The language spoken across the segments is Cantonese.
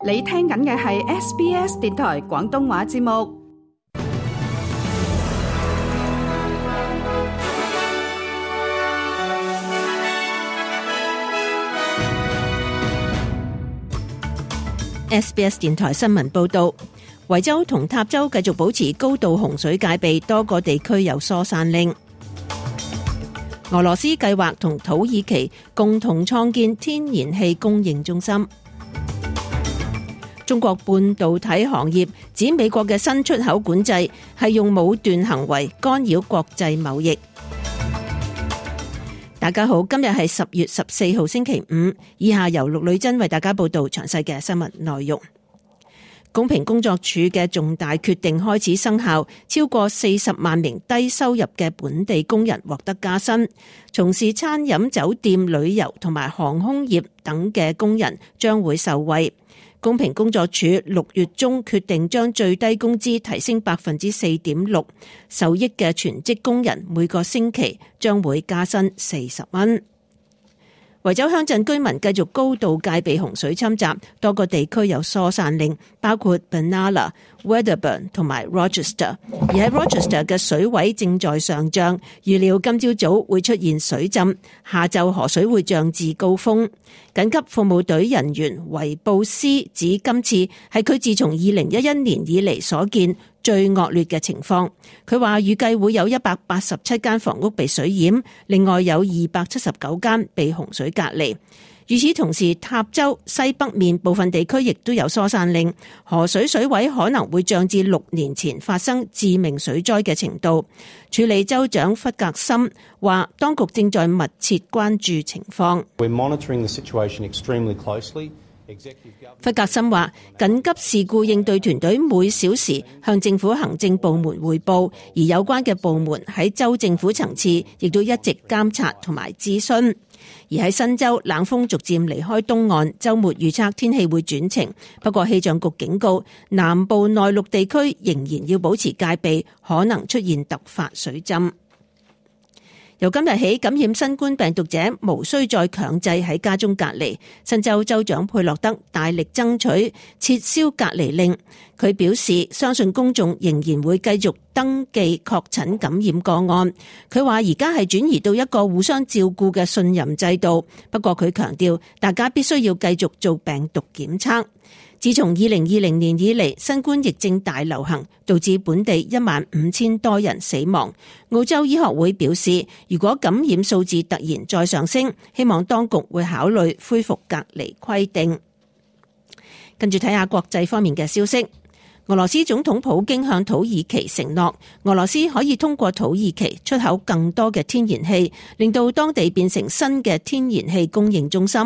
你聽緊嘅係 SBS 電台廣東話節目。SBS 電台新聞報道，維州同塔州繼續保持高度洪水戒備，多個地區有疏散令。俄羅斯計劃同土耳其共同創建天然氣供應中心。中國半導體行業指美國嘅新出口管制係用武斷行為干擾國際貿易。大家好，今日係10月14號星期五，以下由陸女珍為大家報道詳細嘅新聞內容。公平工作處嘅重大決定開始生效，超過40萬名低收入嘅本地工人獲得加薪，從事餐飲、酒店、旅遊同埋航空業等嘅工人將會受惠。公平工作處6月中決定將最低工資提升 4.6%， 受益嘅全職工人每個星期將會加薪40蚊。維州鄉鎮居民繼續高度戒備洪水侵襲，多個地區有疏散令，包括 Benalla、Wedderburn 同埋 Rochester。而喺 Rochester 嘅水位正在上漲，預料今朝早會出現水浸，下晝河水會漲至高峰。緊急服務隊人員維布斯指今次係佢自從2011年以嚟所見最惡劣嘅情況。佢話預計會有187間房屋被水淹，另外有279間被洪水隔離。與此同時，塔州西北面部分地區亦都有疏散令，河水水位可能會漲至6年前發生致命水災嘅程度。處理州長弗格森話，當局正在密切關注情況。弗格森話，緊急事故應對團隊每小時向政府行政部門匯報，而有關嘅部門喺州政府層次亦都一直監察同埋諮詢。而喺新州，冷鋒逐漸離開東岸，週末預測天氣會轉晴，不過氣象局警告南部內陸地區仍然要保持戒備，可能出現突發水浸。由今日起，感染新冠病毒者無需再強制喺家中隔離。新州州長佩洛德大力爭取撤銷隔離令，佢表示相信公眾仍然會繼續登記確診感染個案。佢話而家係轉移到一個互相照顧嘅信任制度，不過佢強調大家必須要繼續做病毒檢測。自從2020年以嚟，新冠疫症大流行，導致本地15000多人死亡。澳洲醫學會表示，如果感染數字突然再上升，希望當局會考慮恢復隔離規定。跟住睇下國際方面嘅消息。俄羅斯總統普京向土耳其承諾，俄羅斯可以通過土耳其出口更多嘅天然氣，令到當地變成新嘅天然氣供應中心。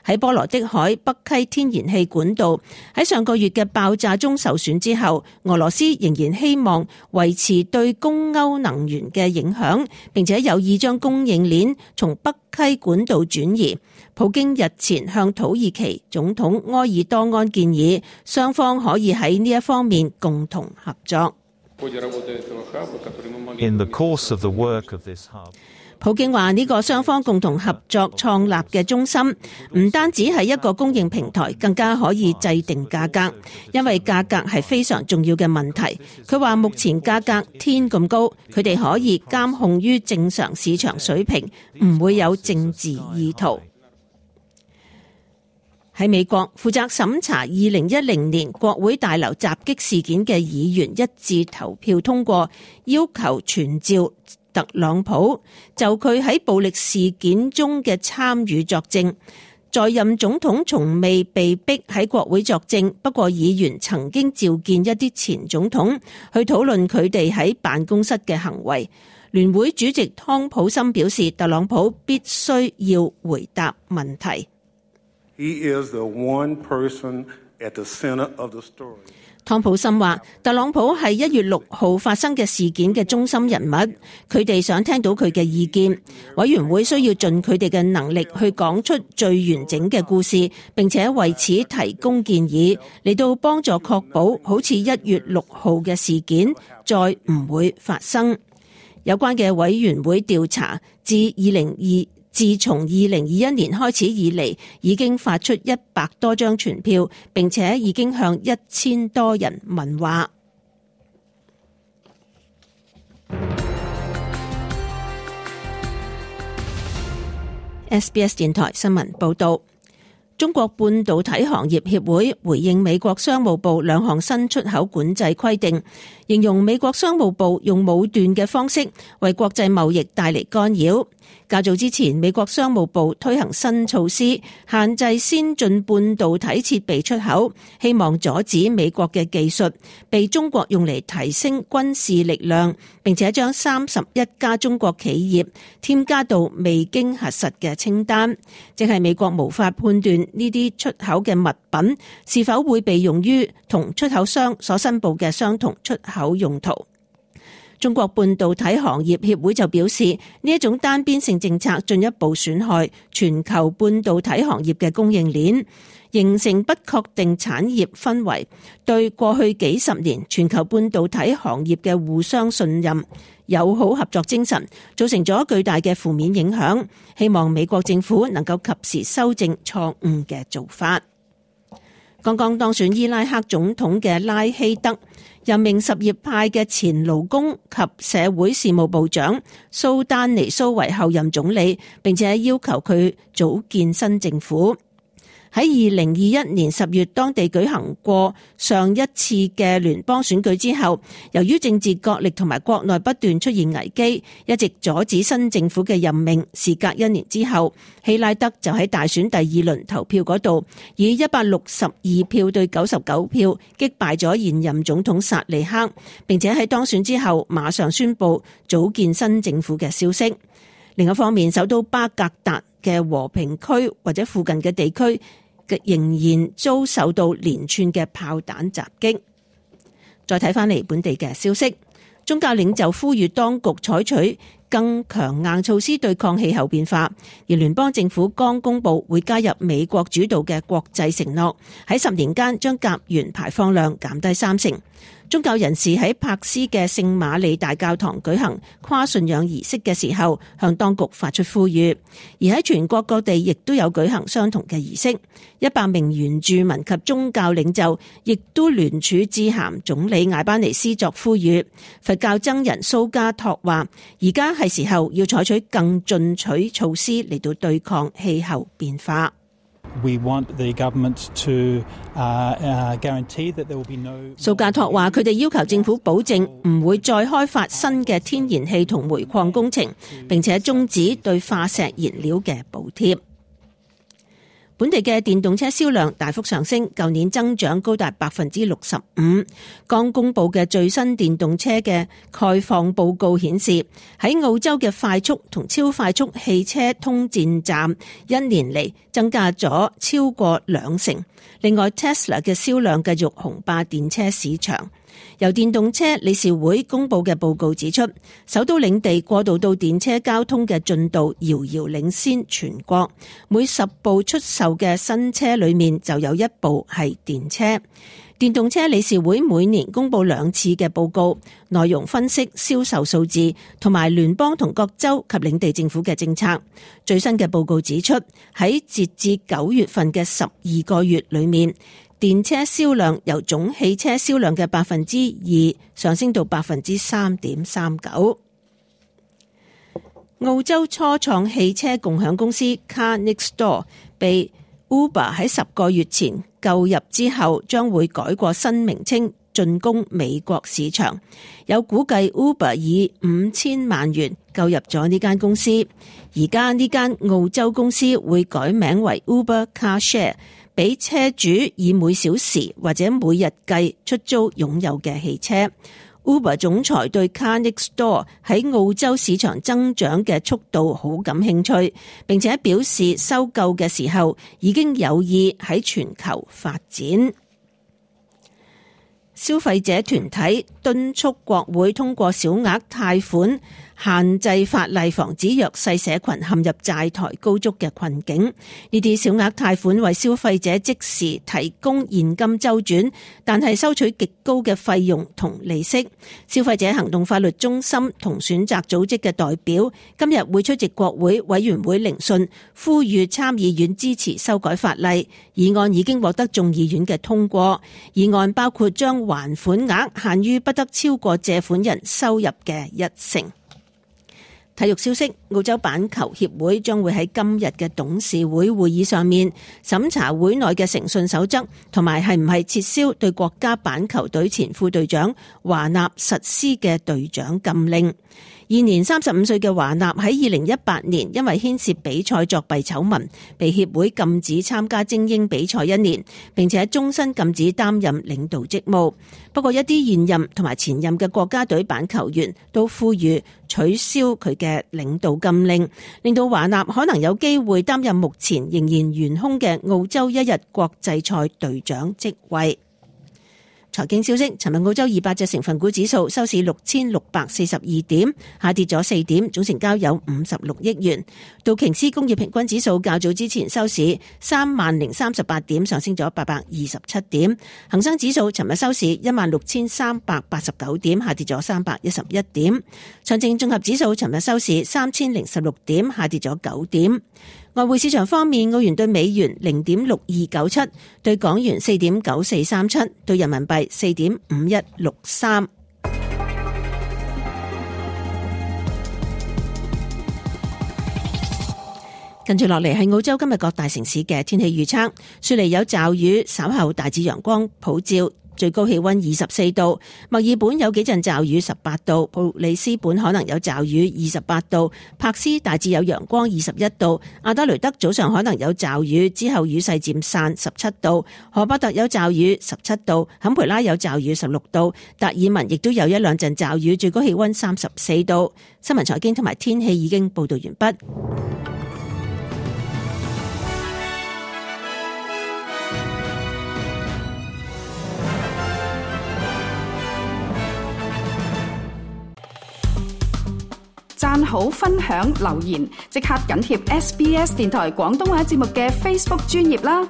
喺波羅的海北溪天然氣管道喺上個月嘅爆炸中受損之後，俄羅斯仍然希望維持對供歐能源嘅影響，並且有意將供應鏈從北溪管道轉移。普京日前向土耳其總統埃爾多安建議，雙方可以喺呢一方面共同合作。普京話呢個雙方共同合作創立嘅中心，唔單止係一個供應平台，更加可以制定價格，因為價格係非常重要嘅問題。佢話目前價格天咁高，佢哋可以監控於正常市場水平，唔會有政治意圖。喺美國，負責審查2010年國會大樓襲擊事件嘅議員一致投票通過，要求傳召特朗普就佢喺暴力事件中嘅參與作證。在任總統從未被逼喺國會作證，不過議員曾經召見一啲前總統去討論佢哋喺辦公室嘅行為。聯會主席湯普森表示，特朗普必須要回答問題。He is the one person at the center of the story. 湯普森話，特朗普係1月6號發生嘅事件嘅中心人物，佢哋想聽到佢嘅意見。委員會需要盡佢哋嘅能力去講出最完整嘅故事，並且為此提供建議，嚟到幫助確保好似1月6號嘅事件再唔會發生。有關嘅委員會調查自自從2021年開始以嚟，已經發出100多張傳票，並且已經向1000多人問話。SBS 電台新聞報道。中國半導體行業協會回應美國商務部2項新出口管制規定，形容美國商務部用武斷嘅方式為國際貿易帶嚟干擾。較早之前，美國商務部推行新措施，限制先進半導體設備出口，希望阻止美國嘅技術被中國用嚟提升軍事力量，並且將31家中國企業添加到未經核實嘅清單，即係美國無法判斷呢啲出口嘅物品是否會被用於同出口商所申報嘅相同出口用途。中國半導體行業協會就表示，呢一種單邊性政策進一步損害全球半導體行業嘅供應鏈，形成不確定產業氛圍，對過去幾十年全球半導體行業嘅互相信任、友好合作精神造成咗巨大嘅負面影響。希望美國政府能夠及時修正錯誤嘅做法。剛剛當選伊拉克總統嘅拉希德任命什葉派嘅前勞工及社會事務部長蘇丹尼蘇為後任總理，並且要求佢組建新政府。喺2021年10月當地舉行過上一次嘅聯邦選舉之後，由於政治角力同埋國內不斷出現危機，一直阻止新政府嘅任命。事隔1年之後，希拉德就喺大選第2輪投票嗰度，以162票對99票擊敗咗現任總統薩利克，並且喺當選之後馬上宣布組建新政府嘅消息。另一方面，首都巴格達嘅和平區或者附近嘅地區仍然遭受到連串嘅炮彈襲擊。再睇翻嚟本地嘅消息，宗教領袖呼籲當局採取更強硬措施對抗氣候變化，而聯邦政府剛公布會加入美國主導嘅國際承諾，喺10年間將甲烷排放量減低30%。宗教人士喺柏斯嘅聖瑪利大教堂舉行跨信仰儀式嘅時候，向當局發出呼籲。而喺全國各地亦都有舉行相同嘅儀式。100名原住民及宗教領袖亦都聯署致函總理艾巴尼斯作呼籲。佛教僧人蘇加托話，而家係時候要採取更進取措施嚟到對抗氣候變化。蘇加托話，佢哋要求政府保證唔會再開發新嘅天然氣同煤礦工程，並且終止對化石燃料嘅補貼。本地嘅電動車銷量大幅上升，舊年增長高達 65%。剛公布嘅最新電動車嘅概況報告顯示，喺澳洲嘅快速同超快速汽車通電站1年嚟增加咗超過20%。另外 Tesla 嘅銷量繼續雄霸電車市場。由電動車理事會公布嘅報告指出，首都領地過渡到電車交通嘅進度遙遙領先全國，每10部出售嘅新車裏面就有1部係電車。電動車理事會每年公布2次嘅報告，內容分析銷售數字同埋聯邦同各州及領地政府嘅政策。最新嘅報告指出，喺截至9月份嘅12個月裏面，電車銷量由總汽車銷量嘅 2% 上升到 3.39%。澳洲初創汽車共享公司 Car Next Door 被 Uber 喺10個月前購入之後，將會改過新名稱進攻美國市場。有估計 Uber 以5000萬元購入咗呢間公司，而家呢間澳洲公司會改名為 Uber Car Share，俾車主以每小時或者每日計出租擁有嘅汽車。Uber 總裁對 Car Next Door 喺澳洲市場增長嘅速度好感興趣，並且表示收購嘅時候已經有意喺全球發展。消費者團體敦促國會通過小額貸款限制法例，防止弱勢社群陷入債台高築嘅困境。呢啲小額貸款為消費者即時提供現金周轉，但係收取極高嘅費用同利息。消費者行動法律中心同選擇組織嘅代表今日會出席國會委員會聆訊，呼籲參議院支持修改法例。議案已經獲得眾議院嘅通過。議案包括將還款額限於不得超過借款人收入嘅1成。體育消息，澳洲板球協會將會喺今日嘅董事會會議上面審查會內嘅誠信守則，同埋係唔係撤銷對國家板球隊前副隊長華納實施嘅隊長禁令。現年35歲嘅華納喺2018年因為牽涉比賽作弊醜聞，被協會禁止參加精英比賽1年，並且終身禁止擔任領導職務。不過一啲現任同埋前任嘅國家隊板球員都呼籲取消佢嘅領導禁令，令到華納可能有機會擔任目前仍然懸空嘅澳洲一日國際賽隊長職位。財經消息，尋日澳洲200隻成分股指數收市6642點，下跌咗4點，總成交有56億元。道瓊斯工業平均指數較早之前收市30038點，上升咗827點。恒生指數尋日收市16389點，下跌咗311點。上證綜合指數尋日收市3016點，下跌咗9點。外匯市場方面，澳元對美元0.6297，對港元4.9437，對人民幣4.5163。跟住落嚟係澳洲今日各大城市嘅天氣預測。雪梨有驟雨，稍後大致陽光普照，最高氣溫24度，墨爾本有幾陣驟雨18度，布里斯本可能有驟雨28度，柏斯大致有陽光21度，阿德雷德早上可能有驟雨，之後雨勢漸散17度，荷伯特有驟雨17度，坎培拉有驟雨16度，達爾文亦都有一兩陣驟雨，最高氣溫34度。新聞財經同埋天氣已經報道完畢。讚好、分享、留言，即刻緊貼SBS 電台廣東話節目嘅 Facebook 專頁啦！